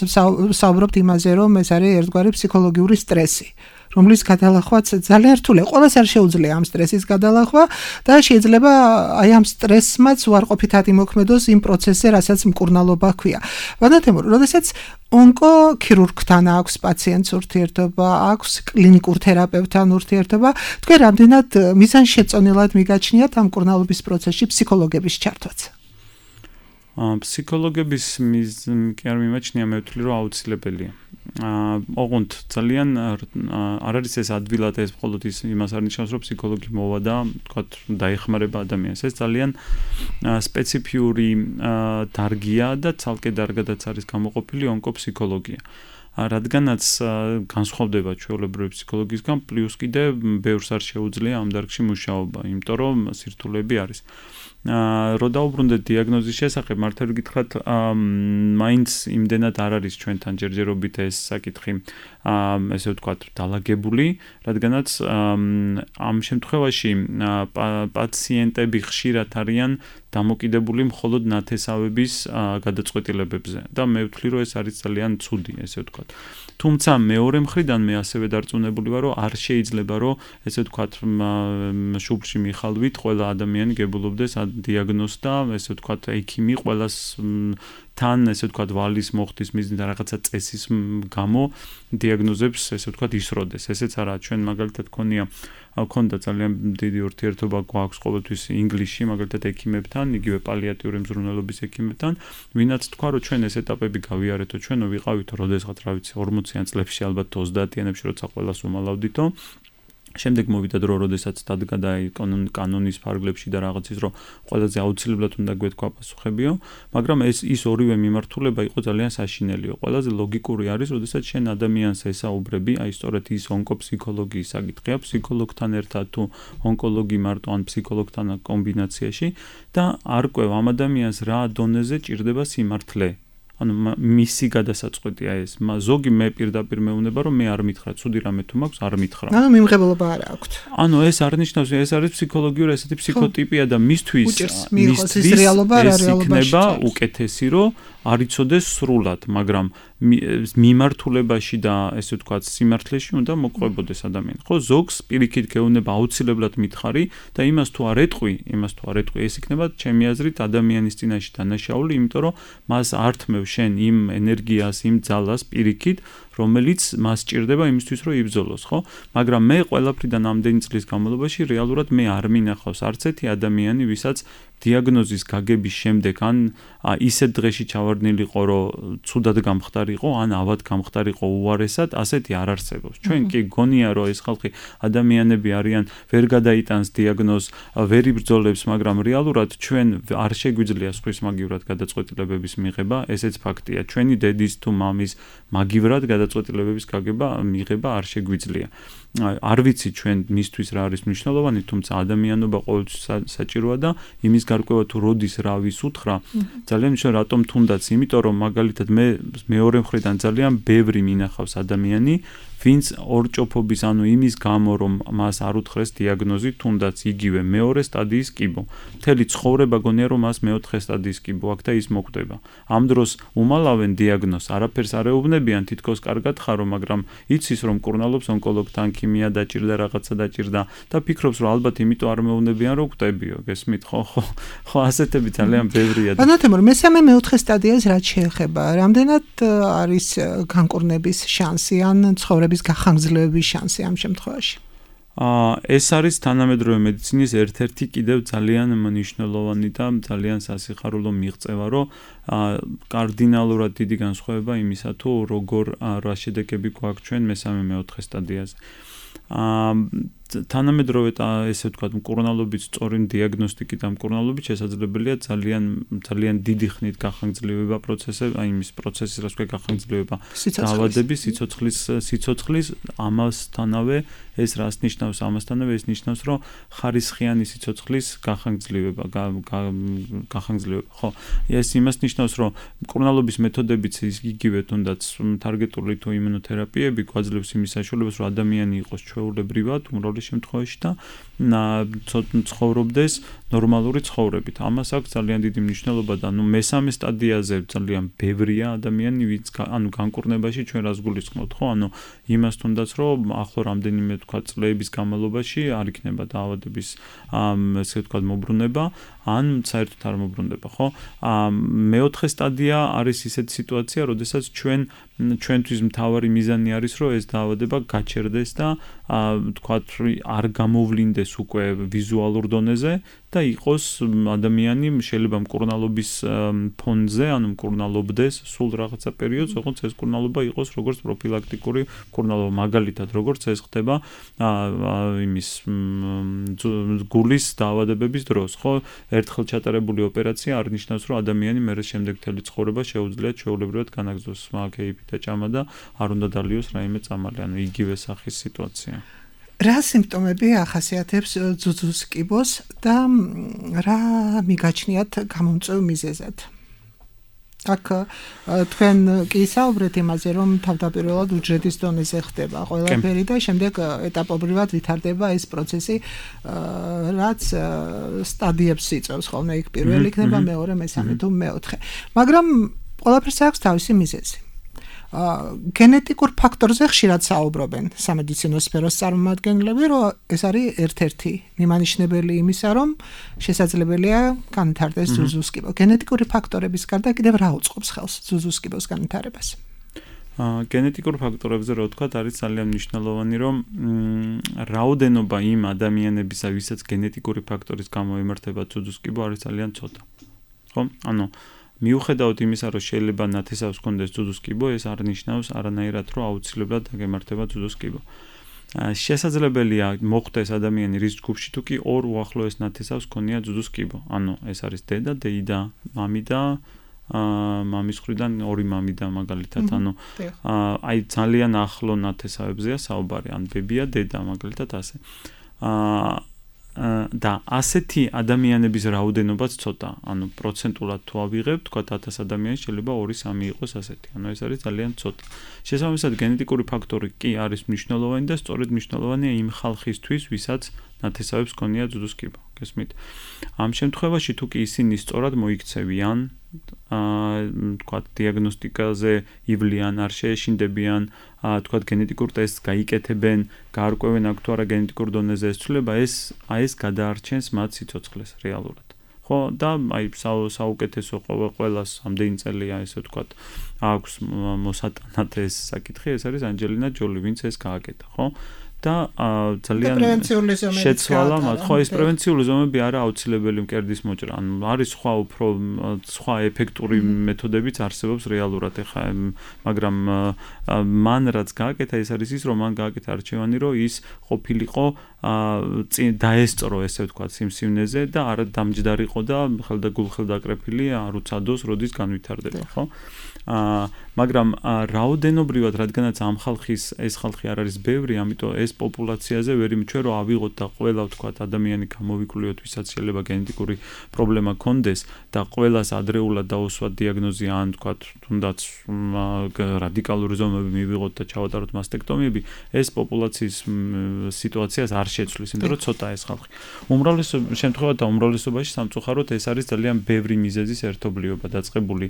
Speaker 3: საუბრობთ იმაზე, რომ ეს არის ერთგვარი ფსიქოლოგიური სტრესი, რომლის გადალახვაც ძალიან რთულია. ყველას არ შეუძლია ამ სტრესის გადალახვა და შეიძლება აი ამ სტრესმაც უარყოფითად იმოქმედოს იმ პროცესზე, რასაც მკურნალობა ჰქვია. ვადათემურ, როდესაც ონკოქირურგთან აქვს პაციენტს ურთიერთობა, აქვს კლინიკურ თერაპევტთან ურთიერთობა, თქვენ რამდენად მიზანშეწონილად მიგაჩნიათ ამ მკურნალობის პროცესში ფსიქოლოგების ჩართვაც?
Speaker 4: ფსიქოლოგების კი არ მიმაჩნია, მე ვთვლი, რომ აუცილებელია. ოღონდ ძალიან არ არის ეს ადვილად ეს მხოლოდ იმას არ ნიშნავს, რომ ფსიქოლოგი მოვა და თქვათ დაეხმარება ადამიანს. ეს ძალიან სპეციფიური დარგია და ცალკე დარგადაც არის გამოყოფილი ონკოფსიქოლოგია. რადგანაც განსხვავდება ჩვეულებრივი ფსიქოლოგიისგან, პლუს კიდე ბევრს არ შეუძლია ამ დარგში მუშაობა, იმიტომ რომ სირთულეები არის. რო დაუბრუნდეთ დიაგნოზის შესახებ, მართლა გითხრათ, მაინც იმდენად არ არის ჩვენთან ჯერჯერობით ეს საკითხი, ესე ვთქვათ, დალაგებული, რადგანაც ამ შემთხვევაში პაციენტები ხშირად არიან დამოკიდებული მხოლოდ ნათესავების გადაწყვეტილებებზე და მე ვთვლი, რომ ეს არის ძალიან ცუდი, ესე ვთქვათ. თუმცა მეორე მხრიდან მე ასევე დარწმუნებული ვარ, რომ არ შეიძლება, რომ ესე ვთქვათ, შუბლში მიხალვით ყველა ადამიანი გებულობდეს დიაგნოზს და ესე ვთქვათ, ექიმი ყველას თან ესე ვთქვათ, ვალის მოხდის მიზნით რაღაცა წესის გამო დიაგნოზებს ესე ვთქვათ ისროდეს. ესეც არა, ჩვენ მაგალითად ქონდა ძალიან დიდი ურთიერთობა გვაქვს ყოველთვის ინგლისში, მაგალითად ექიმებთან, იგივე პალიატიური მზრუნველობის ექიმებთან, ვინაც თქვა, რომ ჩვენ ეს ეტაპები გავიარეთო, ჩვენო ვიყავითო, როდესაც რა ვიცი, 40-იან წლებში, ალბათ 30-იანებში, როცა ყველას უმალავდითო. შემდეგ მოვიდა დრო, როდესაც დადგა და კანონის ფარგლებში და რაღაცის, რომ ყველაზე აუცილებლად უნდა გვეთქვა პასუხებიო, მაგრამ ის ორივე მიმართულება იყო ძალიან საშინელიო. ყველაზე ლოგიკური არის, როდესაც შენ ადამიანს ესაუბრები, აი სწორედ ის ონკოფსიქოლოგიის საკითხია, ფსიქოლოგთან ერთად თუ ონკოლოგი მარტო ან ფსიქოლოგთან კომბინაციაში და არ ყვევ ამ ადამიანს რა დონეზე ჭირდება სიმართლე. ანუ მისი გადასაწყვეტია ეს. ზოგი მე პირდაპირ მეუნება, რომ მე არ მითხრა, ცუდი რამე თუ მაქვს, არ მითხრა.
Speaker 3: ანუ მიმღებლობა არ აქვს.
Speaker 4: ანუ ეს არ ნიშნავს, ეს არის ფსიქოლოგიური ესეთი ფსიქოტიპია და მისთვის
Speaker 3: რეალობა
Speaker 4: იქნება უკეთესი, რომ არ იცოდეს სრულად, მაგრამ მიმართულებაში და ესე ვთქვათ, სიმართლეში უნდა მოყვებოდეს ადამიანი. ხო, ზოგს პირიქით გეუბნება აუცილებლად მითხარი და იმას თუ არ ეტყვი, ეს იქნება ჩემი აზრით ადამიანის წინაშე დანაშაული, იმიტომ რომ მას ართმევ შენ იმ ენერგიას, იმ ძალას პირიქით, რომელიც მას სჭირდება იმისთვის, რომ იბრძოლოს, ხო? მაგრამ მე ყველაფრიდან ამდენი წლის განმავლობაში რეალურად მე არ მინახავს არც ერთი ადამიანი, ვისაც დიაგნოზის გაგების შემდეგ ან ისეთ დღეში ჩავარდნილიყო, რომ ცუდად გამხდარიყო, ან ავად გამხდარიყო უარესად, ასეთი არ არსებობს. ჩვენ კი გონია, რომ ეს ხალხი ადამიანები არიან, ვერ გადაიტანს დიაგნოზს, ვერ იბრძოლებს, მაგრამ რეალურად ჩვენ არ შეგვიძლია სხვის მაგივრად გადაწყვეტილებების მიღება, ესეც ფაქტია. ჩვენი დედის თუ მამის მაგივრად გადაწყვეტილებების მიღება არ შეგვიძლია. არ ვიცი ჩვენ მისთვის რა არის მნიშვნელოვანი, თუმცა ადამიანობა ყოველთვის საჭიროა და იმის გარკვევა თუ როდის რა ვის უთხრა, ძალიან მნიშვნელოვანია, რატომ თუნდაც, იმიტომ რომ მაგალითად მე მეორე მხრიდან ძალიან ბევრი მინახავს ადამიანი, ვინც ორჭოფობის, ანუ იმის გამო, რომ მას არ უთხრეს დიაგნოზი, თუნდაც იგივე მეორე სტადიის კიბო. მთელი ცხოვრება გონია, რომ მას მეოთხე სტადიის კიბო აქვს და ის მოკვდება. ამ დროს უმალავენ დიაგნოზს, არაფერს არ ეუბნებიან, თითქოს კარგად ხარო, მაგრამ იცის, რომ მკურნალობს ონკოლოგთან, ქიმია დაჭირდა, რაღაცა დაჭირდა და ფიქრობს, რომ ალბათ იმიტომ არ მეუბნებიან, რომ გვტებიო, გესმით, ხო, ასეთები ძალიან ბევრია.
Speaker 3: ბანათემური, მესამე მეოთხე სტადიას რაც შეეხება, რამდენად არის განკურნების შანსი ან ცხოვრების გახანგრძლივების შანსი ამ შემთხვევაში?
Speaker 4: ეს არის თანამედროვე მედიცინის ერთ-ერთი კიდევ ძალიან მნიშვნელოვანი და ძალიან სასიხარულო მიღწევა, რომ კარდინალურად დიდი განსხვავება იმისა, თუ როგორ რა შედეგები გვაქვს ჩვენ მესამე მეოთხე სტადიაზე. თანამედროვე ესე ვთქვათ, მკურნალობის სწორი დიაგნოსტიკით და მკურნალობით შესაძლებელია ძალიან დიდი ხნით გახანგრძლივება პროცესები, აი იმის პროცესის რაც ქვია გახანგრძლივება დაავადების, სიცოცხლის, ამასთანავე ეს რას ნიშნავს? ამასთანავე ეს ნიშნავს, რომ ხარისხიანი სიცოცხლის გახანგრძლივება, ხო. ეს იმას ნიშნავს, რომ მკურნალობის მეთოდებიც იგივე თუნდაც ტარგეტული თუ იმუნოთერაპიები გვაძლევს იმის საშუალებას, რომ ადამიანი იყოს ჩვეულებრივად უმრავლეს შემთხვევაში და ცხოვრობდეს ნორმალური ცხოვრებით. ამას აქვს ძალიან დიდი მნიშვნელობა და მესამე სტადიაზე ძალიან ბევრია ადამიანი, ვინც განკურნებაში ჩვენ რას გულისხმობთ, ხო? იმას თუნდაც, რომ ახლო რამდენიმე თქვა წლების განმავლობაში არ იქნება დაავადების ესე ვთქვათ მობრუნება, ან საერთოდ არ მობრუნდება, ხო? მეოთხე სტადია არის ისეთი სიტუაცია, როდესაც ჩვენთვის მთავარი მიზანი არის, რომ ეს დაავადება გაჩერდეს და თქვათ არ გამოვლინდეს უკვე ვიზუალურ დონეზე და იყოს ადამიანი შეიძლება მკურნალობის ფონზე, ანუ მკურნალობდეს სულ რაღაცა პერიოდს, როგორც ეს მკურნალობა იყოს როგორც პროფილაქტიკური მკურნალობა, მაგალითად, როგორც ეს ხდება იმის გულის დაავადებების დროს, ხო? ერთხელ ჩატარებული ოპერაცია არ ნიშნავს, რომ ადამიანი მერე შემდეგ მთელი ცხოვრება შეუძლიათ ჩვეულებრივად განაგრძოს კეიფი და ჭამა და არ უნდა დალიოს რაიმე წამალი, ანუ იგივე სახის სიტუაცია.
Speaker 3: რა სიმპტომები ახასიათებს ძუძუს კიბოს და რა მიგაჩნიათ გამომწვევ მიზეზად? აქ თქვენ კი საუბრეთ იმაზე, რომ თავდაპირველად უჯრედის დონეზე ხდება ყველაფერი და შემდეგ ეტაპობრივად ვითარდება ეს პროცესი, რაც სტადიებს იწევს ხოლმე, იქ პირველი იქნება, მეორე, მესამე თუ მეოთხე. მაგრამ ყველაფერს აქვს თავისი მიზეზი. გენეტიკურ ფაქტორზე ხშირად საუბრობენ სამედიცინო სფეროს წარმომადგენლები, რომ ეს არის ერთ-ერთი მიმანიშნებელი იმისა, რომ შესაძლებელია განვითარდეს ძუძუს კიბო. გენეტიკური ფაქტორების გარდა კიდევ რა უწყობს ხელს ძუძუს კიბოს განვითარებას?
Speaker 4: გენეტიკურ ფაქტორებზე რა ვთქვათ, არის ძალიან მნიშვნელოვანი, რომ რაოდენობა იმ ადამიანებისა, ვისაც გენეტიკური ფაქტორის გამო ემართება ძუძუს კიბო, არის ძალიან ცოტა. ხო? მიუხედავად იმისა, რომ შეიძლება ნათესავს ჰქონდეს ძუძუს კიბო, ეს არ ნიშნავს არანაირად, რომ აუცილებლად დაგემართება ძუძუს კიბო. შესაძლებელია მოხდეს ადამიანი რის ჯგუფში, თუ კი ორ უახლოეს ნათესავს ჰქონია ძუძუს კიბო. ეს არის დედა, დეიდა, მამი და მამის მხრიდან ორი მამი და მაგალითად, აი ძალიან ახლო ნათესავებზეა საუბარი, ან ბებია, დედა, მაგალითად ასე. და ასეთი ადამიანების რაოდენობაც ცოტა, პროცენტულად თუ ავიღებთ, თქვა 1000 ადამიანის შეიძლება 2-3 იყოს ასეთი. ეს არის ძალიან ცოტა. შესაბამისად, გენეტიკური ფაქტორი კი არის მნიშვნელოვანი და სწორედ მნიშვნელოვანია იმ ხალხისთვის, ვისაც ნათესავებს ჰქონია ძუძუს კიბო. გესმით? ამ შემთხვევაში თუ კი ისინი სწორად მოიქცევიან, თქვა დიაგნოსტიკაზე ივლიან, არ შეეშინდებიან, თქვა გენეტიკურ ტესტს გაიკეთებენ, გაარკვევენ აქ თუ არა გენეტიკურ დონეზე ეს ცვლილება, ეს გადაარჩენს მათ სიცოცხლეს რეალურად. ხო, და აი საუკეთესო ყველას ამდენი წელია ესე ვთქვათ, აქვს მოსატანად ეს საკითხი, ეს არის ანჯელინა ჯოლი, ვინც ეს გააკეთა, ხო? და ძალიან შეცვალა მათ. ხო, ეს პრევენციული ზომები არა აუცილებელი მკერდის მოჭრა. ანუ არის სხვა ეფექტური მეთოდებიც არსებობს რეალურად ეხა, მაგრამ მან რაც გააკეთა, ეს არის ის, რომ მან გააკეთა არჩევანი, რომ ის ყოფილიყო დაესწრო, ესე ვთქვათ, სიმსივნეზე და არა დამჯდარიყო და ხელდაკრეფილი არ უცადოს, როდის განვითარდება, ხო? მაგრამ რაოდენობრივად, რადგანაც ამ ხალხის ეს ხალხი არ არის ბევრი, ამიტომ ეს პოპულაციაზე ვერ იმჩვეო, რომ ავიღოთ და ყველა ვთქვათ ადამიანი გამოვიკვლიოთ, ვისაც შეიძლება გენეტიკური პრობლემა ქონდეს და ყველას ადრეულად დაუსვათ დიაგნოზი ან ვთქვათ, თუნდაც რადიკალური ზომები მივიღოთ და ჩავატაროთ მასტექტომიები, ეს პოპულაციის სიტუაციას არ შეცვლის, იმიტომ რომ ცოტა ეს ხალხი. უმრავლესობაში სამწუხაროდ ეს არის ძალიან ბევრი მიზეზის ერთობლიობა დაწყებული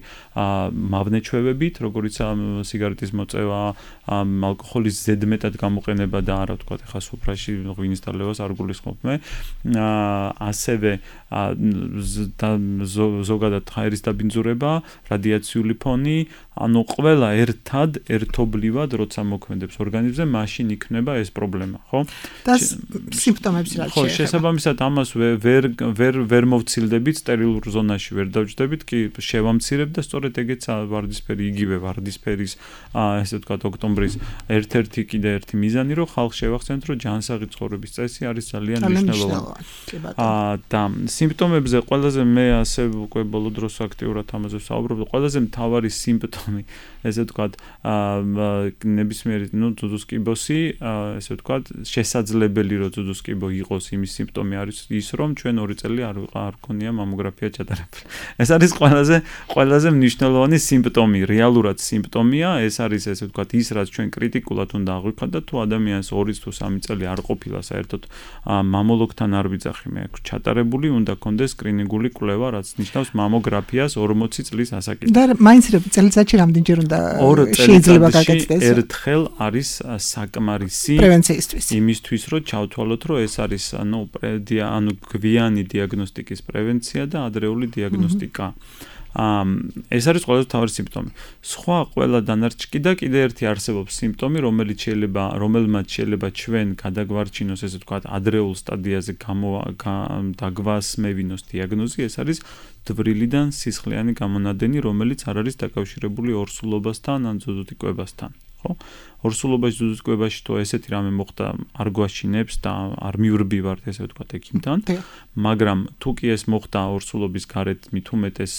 Speaker 4: მავნეჩვევებით, როგორიცაა სიგარეტის მოწევა, ალკოჰოლის ზედმეტად გამოყენება და არა ვთქვათ, ეხლა სუფრაში ღვინის დალევას არ გულისხმობ მე. ასევე ზოგადად ჰაერის დაბინძურება, რადიაციული ფონი, ანუ ყველა ერთობლივად როცა მოქმედებს ორგანიზმზე, მაშინ იქნება ეს პრობლემა, ხო?
Speaker 3: და სიმპტომებს რაც
Speaker 4: ხო, შესაბამისად ამას ვერ მოვცილდებით სტერილურ ზონაში, ვერ დავჯდებით, კი შევამცირებ და სწორედ ეგეცა ვარდისფერი, იგივე ვარდისფერის, ესე ვთქვათ, ოქტომბრის ერთ-ერთი კიდე ერთი მიზანი, რომ ხალხს შევახსენოთ, რომ ჯანსაღი ცხოვრების წესი არის ძალიან მნიშვნელოვანი. და სიმპტომებზე ყველაზე მე ასე უკვე ბოლო დროს აქტიურად ამაზე ვსაუბრობ, ყველაზე მთავარი სიმპტომი, ესე ვთქვათ, ნებისმიერი, ძუძუს კიბოსი, ესე ვთქვათ, შესაძლებელი რომ ძუძუს კიბო იყოს, იმის სიმპტომი არის ის, რომ ჩვენ 2 წელი არ გქონია მამოგრაფია ჩატარებული. ეს არის ყველაზე მნიშვნელოვანი სიმპტომი, რეალურად სიმპტომია, ეს არის ესე ვთქვათ, ის რაც ჩვენ კრიტიკულად უნდა აღვიქვათ და თუ ადამიანს 2 თუ 3 წელი არ ყოფილა საერთოდ მამოლოგთან არ ვიძახი მე ჩატარებული, უნდა კონდეს სკრინინგული კვლევა, რაც ნიშნავს მამოგრაფიას 40 წლის ასაკიდან.
Speaker 3: და მაინც წელიწადში რამდენჯერ უნდა შეიძლება გაკეთდეს?
Speaker 4: ერთხელ არის საკმარისი
Speaker 3: პრევენციისთვის.
Speaker 4: იმისთვის, რომ ჩავთვალოთ, რომ ეს არის ანუ გვიანი დიაგნოსტიკის პრევენცია და ადრეული დიაგნოსტიკა. ეს არის ყველაზე მთავარი სიმპტომი. სხვა ყველა დანარჩი და კიდე ერთი არსებობს სიმპტომი, რომელმაც შეიძლება ჩვენ გადაგვარჩინოს, ესე ვთქვათ, ადრეულ სტადიაზე დაგვასმევინოს დიაგნოზი, ეს არის დვრილიდან სისხლიანი გამონადენი, რომელიც არ არის დაკავშირებული ორსულობასთან ან ძუძუტიკოებასთან. ხო? ორსულობაში ძუძუტიკოებაში თუ ესეთი რამე მოხდა, არ გვაშინებს და არ მივრბივართ, ესე ვთქვათ, ექიმთან. მაგრამ თუ კი ეს მოხდა ორსულობის გარეთ მით უმეტეს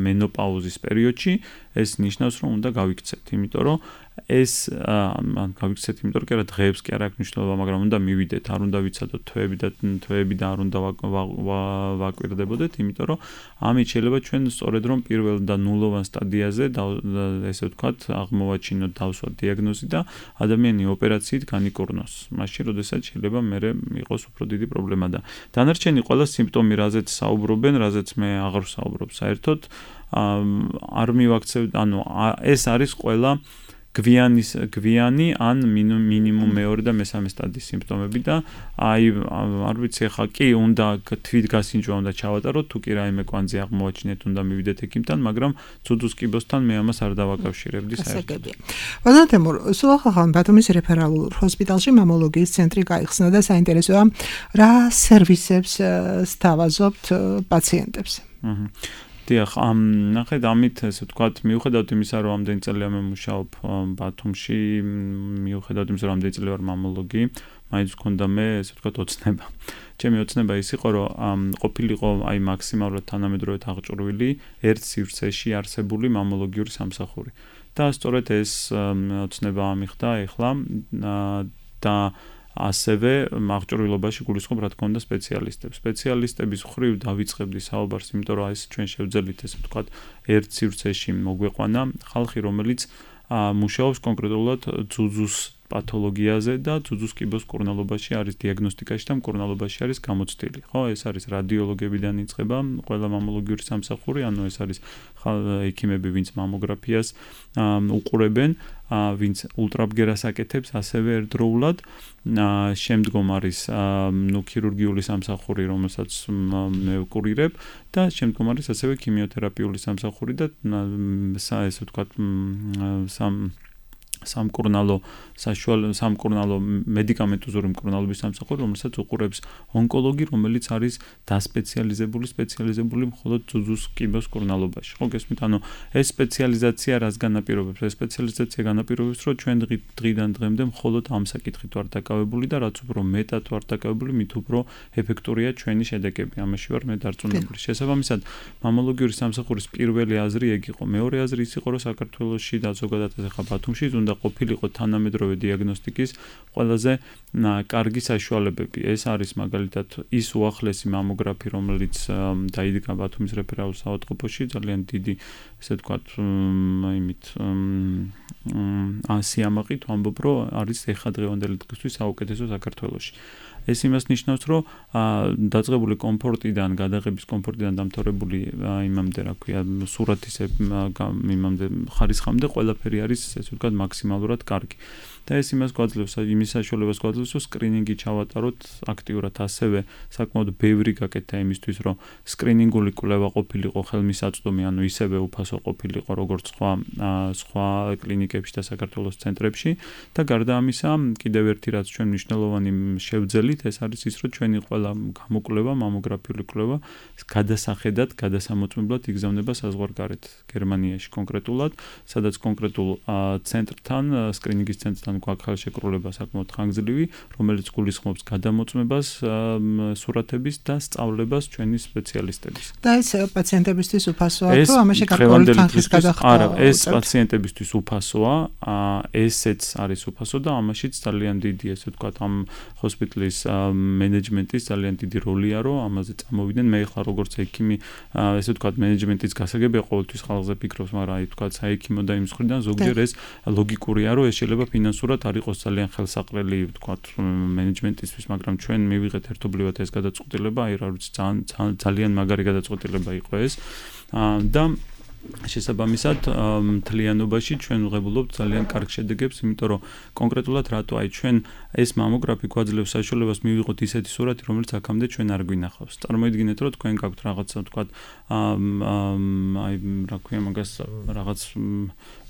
Speaker 4: მენოპაუზის პერიოდში, ეს ნიშნავს, რომ უნდა გავიქცეთ, იმიტომ რომ ეს გავიქცეთ, იმიტომ რომ კი არა დღეებს კი არ აქვს მნიშვნელობა, მაგრამ უნდა მივიდეთ, არ უნდა ვიცადოთ თვეები და არ უნდა ვაკვირდებოდეთ, იმიტომ რომ ამით შეიძლება ჩვენ სწორედ რომ პირველ და ნულოვან სტადიაზე ესე ვთქვათ, აღმოვაჩინოთ, დავსვათ დიაგნოზი და ადამიანი ოპერაციით განიკურნოს. მაშინ, როდესაც შეიძლება მერე იყოს უფრო დიდი პრობლემა და დანარჩენი ყველა სიმპტომი, რაზეც საუბრობენ, რაზეც მე აღარ ვსაუბრობ საერთოდ, არ მივაქცევ, ანუ ეს არის ყველა გვიანი ან მინიმუმ მეორე და მესამე სტადიის სიმპტომები და არ ვიცი ახლა კი უნდა თვითგასინჯვა უნდა ჩავატაროთ, თუ კი რაიმე კვანძი აღმოვაჩინეთ, უნდა მივიდეთ ექიმთან, მაგრამ ძუძუს კიბოსთან მე ამას არ დავაკავშირებდი საერთოდ.
Speaker 3: ბატონო თემურ, სულ ახალ ბათუმის რეფერალურ ჰოსპიტალში მამოლოგიის ცენტრი გაიხსნა და საინტერესოა, რა სერვისებს სთავაზობთ პაციენტებს?
Speaker 4: დიახ, ნახეთ, ამით ესე ვთქვათ, მიუხედავად იმისა, რომ ამდენი წელია მე მუშაობ ბათუმში, მიუხედავად იმისა, რომ ამდენი წელი ვარ მამოლოგი, მაინც მქონდა მე ესე ვთქვათ ოცნება. ჩემი ოცნება ის იყო, რომ ყოფილიყო აი მაქსიმალურად თანამედროვედ აღჭურვილი ერთ სივრცეში არსებული მამოლოგიური სამსახური. და სწორედ ეს ოცნება ამიხდა ეხლა და ასევე აღჭურვილობაში გულისხმობ რა თქმა უნდა სპეციალისტებს. სპეციალისტების ხრივ დავიწყებდი საუბარს, იმიტომ რომ ეს ჩვენ შევძელით ესე ვთქვათ ერთ სივრცეში მოგვეყვანა ხალხი, რომელიც მუშაობს კონკრეტულად ძუძუს პათოლოგიაზე და ძუძუს კიბოს მკურნალობაში არის დიაგნოსტიკაში და მკურნალობაში არის გამოცდილი. ხო, ეს არის რადიოლოგებიდან იწყება ყველა მამოლოგიური სამსახური, ანუ ეს არის ექიმები, ვინც მამოგრაფიას უყურებენ, ვინც ულტრაბგერას აკეთებს, ასევე ერთდროულად. შემდგომ არის ქირურგიული სამსახური, რომელსაც მე ვკურირებ და შემდგომ არის ასევე ქიმიოთერაპიული სამსახური და ესე ვთქვათ სამკურნალო მედიკამენტოზური მკურნალობის სამსახური, რომელსაც უყურებს ონკოლოგი, რომელიც არის სპეციალიზებული მხოლოდ ძუძუს კიბოს მკურნალობაში. ხო, გესმით? ანუ ეს სპეციალიზაცია რას განაპირობებს? ეს სპეციალიზაცია განაპირობებს, რომ ჩვენ დღიდან დღემდე მხოლოდ ამ საკითხით ვართ დაკავებული და რაც უფრო მეტად ვართ დაკავებული, მით უფრო ეფექტურია ჩვენი შედეგები. ამაში ვარ მე დარწმუნებული. შესაბამისად, მამოლოგიური სამსახურის პირველი აზრი ეგ იყო. მეორე აზრი ის იყო, რომ საქართველოში და ზოგადად ახლა ბათუმში უნდა ყოფილიყო თანამედროვე დიაგნოსტიკის ყველაზე კარგი საშუალებები. ეს არის მაგალითად ის უახლესი მამოგრაფი, რომელიც დაიდგა ბათუმის რეფერალურ საავადმყოფოში, ძალიან დიდი, ესე ვთქვათ, სიამაყით ვამბობ, რომ არის ეხადღევანდელი დღისთვის საუკეთესო საქართველოში. ეს იმას ნიშნავს, რომ დაწყებული კომფორტიდან, გადაღების კომფორტიდან დამთავრებული იმამდე, რა ქვია, სურათის იმამდე ხარისხამდე ყველაფერი არის, ესე ვთქვათ, მაქსიმალურად კარგი. და ეს იმის საშუალებას გვაძლევს, რომ სკრინინგი ჩავატაროთ აქტიურად, ასევე საკმაოდ ბევრი გაკეთდა იმისთვის, რომ სკრინინგული კვლევა ყოფილიყო ხელმისაწვდომი, ანუ ისევე უფასო ყოფილიყო, როგორც სხვა კლინიკებში და საქართველოს ცენტრებში და გარდა ამისა, კიდევ ერთი რაც ჩვენ მნიშვნელოვანი შევძელით, ეს არის ის, რომ ჩვენი ყველა გამოკვლევა, მამოგრაფიული კვლევა გადასახედად, გადასამოწმებლად იგზავნება საზღვარგარეთ, გერმანიაში კონკრეტულად, სადაც კონკრეტულ ცენტრთან, სკრინინგის ცენტრთან გვაქვს ხელშეკრულება საკმაოდ ხანგრძლივი, რომელიც გულისხმობს გადამოწმებას, სურათების და სწავლებას ჩვენი სპეციალისტების.
Speaker 3: და ეს პაციენტებისთვის უფასოა, თუ ამაში გარკვეული თანხის გადახდა?
Speaker 4: არა, ეს პაციენტებისთვის უფასოა, ესეც არის უფასო და ამაშიც ძალიან დიდი, ესე ვთქვათ, ამ ჰოსპიტალის მენეჯმენტის ძალიან დიდი როლია, რომ ამაზე წამოვიდნენ. მე ხარ როგორც ექიმი, ესე ვთქვათ, მენეჯმენტის გასაგებია ყოველთვის ხალხზე ფიქრობს, მაგრამ აი ვთქვათ, საექიმო და იმ მხრიდან ზოგჯერ ეს ლოგიკურია, რომ ეს შეიძლება ფინანსურად არ იყოს ძალიან ხელსაყრელი, ვთქვათ, მენეჯმენტისთვის, მაგრამ ჩვენ მივიღეთ ერთობლივად ეს გადაწყვეტილება, აი რა ვიცი, ძალიან მაგარი გადაწყვეტილება იყო ეს და შესაბამისად მთლიანობაში ჩვენ ვღებულობთ ძალიან კარგ შედეგებს, იმიტომ რომ კონკრეტულად რატო აი ჩვენ ეს მამოგრაფი გვაძლევს საშუალებას მივიღოთ ისეთი სურათი, რომელიც აქამდე ჩვენ არ გვინახავს. წარმოიდგინეთ, რომ თქვენ გაქვთ რაღაცა, ვთქვათ, აი რა ქვია მაგას, რაღაც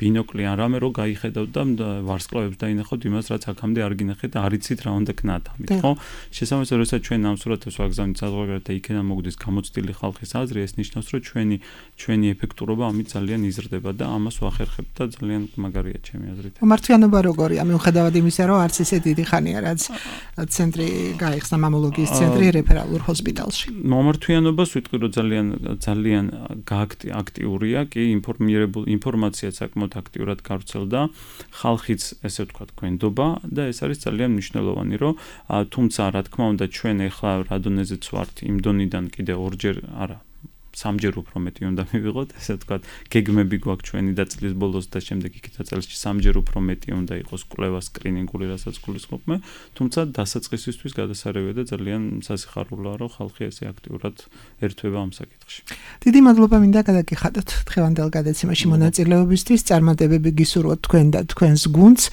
Speaker 4: ბინოკლი ან რამე, რომ გაიხედავთ და ვარსკვლავებს დაინახავთ იმას, რაც აქამდე არ გინახეთ და არ იცით რა უნდა გქნათ ამით, ხო? შესაბამისად, როდესაც ჩვენ ამ სურათებს ვაგზავნით საზღვარგარეთ და იქიდან მოგდის გამოცდილი ხალხის აზრი, ეს ნიშნავს, რომ ჩვენი ეფექტურობა ამით ძალიან იზრდება და ამას ვახერხებ და ძალიან მაგარია ჩემი აზრით.
Speaker 3: მართლიანობა როგორია, მიუხედავად იმისა, რომ არც ისე დიდი ხანია, რაც ცენტრი გაიხსნა მამოლოგიის ცენტრი რეფერალურ ჰოსპიტალში.
Speaker 4: მომართვიანობას ვიტყვი, რომ ძალიან აქტიურია, კი ინფორმაცია საკმაოდ აქტიურად გავრცელდა, ხალხიც ესე ვთქვათ გვენდობა და ეს არის ძალიან მნიშვნელოვანი, რომ თუმცა რა თქმა უნდა ჩვენ ახლა რა დონეზეც ვართ იმ დონიდან კიდე ორჯერ არა სამჯერ უფრო მეტი უნდა მივიღოთ, ესე ვთქვათ, გეგმები გვაქვს ჩვენი და წლის ბოლოს და შემდეგ იქითა წელს სამჯერ უფრო მეტი უნდა იყოს კვლევა სკრინინგული, რასაც გულისხმობ მე, თუმცა დასაწყისისთვის გადასარევია და ძალიან სასიხარულოა, რომ ხალხი ესე აქტიურად ერთვება ამ საკითხში.
Speaker 3: დიდი მადლობა მინდა გადაგიხადოთ დღევანდელ გადაცემაში მონაწილეობისთვის, წარმატებები გისურვოთ თქვენ და თქვენს გუნდს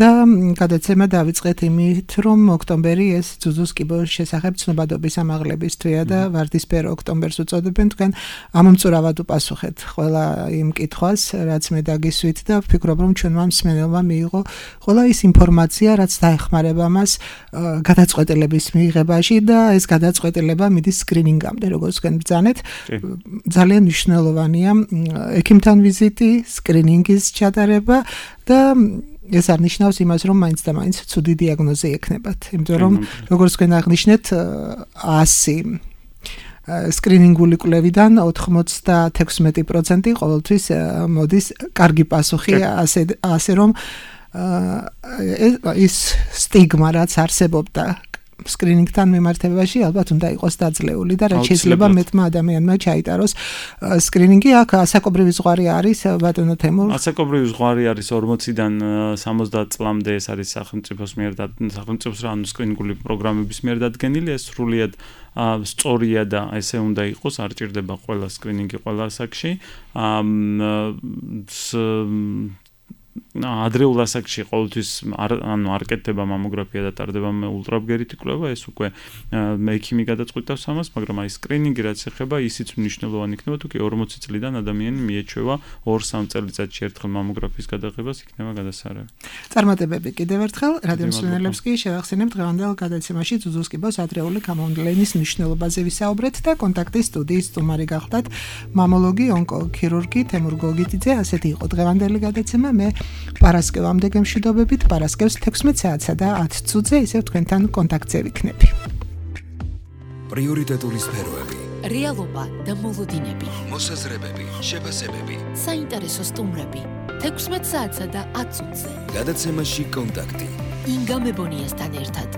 Speaker 3: და გადაცემა დავიწყეთ იმით, რომ ოქტომბერი ეს ძუძუს კიბოს შესახებ ცნობადობის ამაღლების თვეა და ვარდისფერ ოქტომბერს უწოდებენ. თქვენ ამომწურავად უპასუხეთ ყველა იმ კითხვას, რაც მე დაგისვით და ვფიქრობ, რომ ჩვენმა მსმენელმა მიიღო ყველა ის ინფორმაცია, რაც დაეხმარება მას გადაწყვეტილების მიღებაში და ეს გადაწყვეტილება მიდის სკრინინგამდე, როგორც თქვენ ბრძანეთ. ძალიან მნიშვნელოვანია ექიმთან ვიზიტი, სკრინინგის ჩატარება და ეს არ ნიშნავს იმას, რომ მაინც და მაინც ცუდი დიაგნოზი ექნებათ, იმიტომ რომ როგორც თქვენ აღნიშნეთ 100 სკრინინგული კვლევიდან 96% ყოველთვის მოდის კარგი პასუხი, ასე რომ ის სტიგმა, რაც არსებობდა სკრინინგთან მიმართებაში, ალბათ უნდა იყოს დაძლეული და რაც შეიძლება მეტმა ადამიანმა ჩაიტაროს სკრინინგი. აქ ასაკობრივი ზღვარი არის, ბატონო თემურ?
Speaker 4: ასაკობრივი ზღვარი არის 40-დან 70 წლამდე, ეს არის სახელმწიფოს ანუ სკრინინგული პროგრამების მიერ დადგენილი, ეს სრულიად სწორია და ესე უნდა იყოს, არ ჭირდება ყველა სკრინინგი ყველა ასაკში. ადრეულ ასაკში ყოველთვის არ კეთდება მამოგრაფია და ტარდება ულტრაბგერითი კვლევა, ეს უკვე მექიმი გადაწყვეტავს ამას, მაგრამ აი სკრინინგი რაც ეხება, ისიც მნიშვნელოვანი იქნება, თუ კი 40 წლიდან ადამიანი მიეჩვევა 2-3 წელიწადში ერთხელ მამოგრაფიის გადაღებას იქნება გადასარევი.
Speaker 3: წარმატებები კიდევ ერთხელ რადიო მსმენელებს კი შევახსენებთ დღევანდელ გადაცემაში ზუზუს კიბოს ადრეული გამომვლენის მნიშვნელობაზე ვისაუბრეთ და კონტაქტის სტუდიის სტუმარი გახლდათ მამოლოგი ონკოქირურგი თემურ გოგიტიძე. ასეთი იყო დღევანდელი გადაცემა. მე პარასკევამდე გემშვიდობებით, პარასკევს 16 საათსა და 10 წუთზე ისევ თქვენთან კონტაქტზე ვიქნები.
Speaker 1: პრიორიტეტული სფეროები,
Speaker 2: რეალობა და მოლოდინები,
Speaker 1: მოსაზრებები, შეფასებები.
Speaker 2: საინტერესო სტუმრები 16 საათსა და 10 წუთზე.
Speaker 1: გადაცემაში კონტაქტი.
Speaker 2: ინგა მებონიასთან ერთად.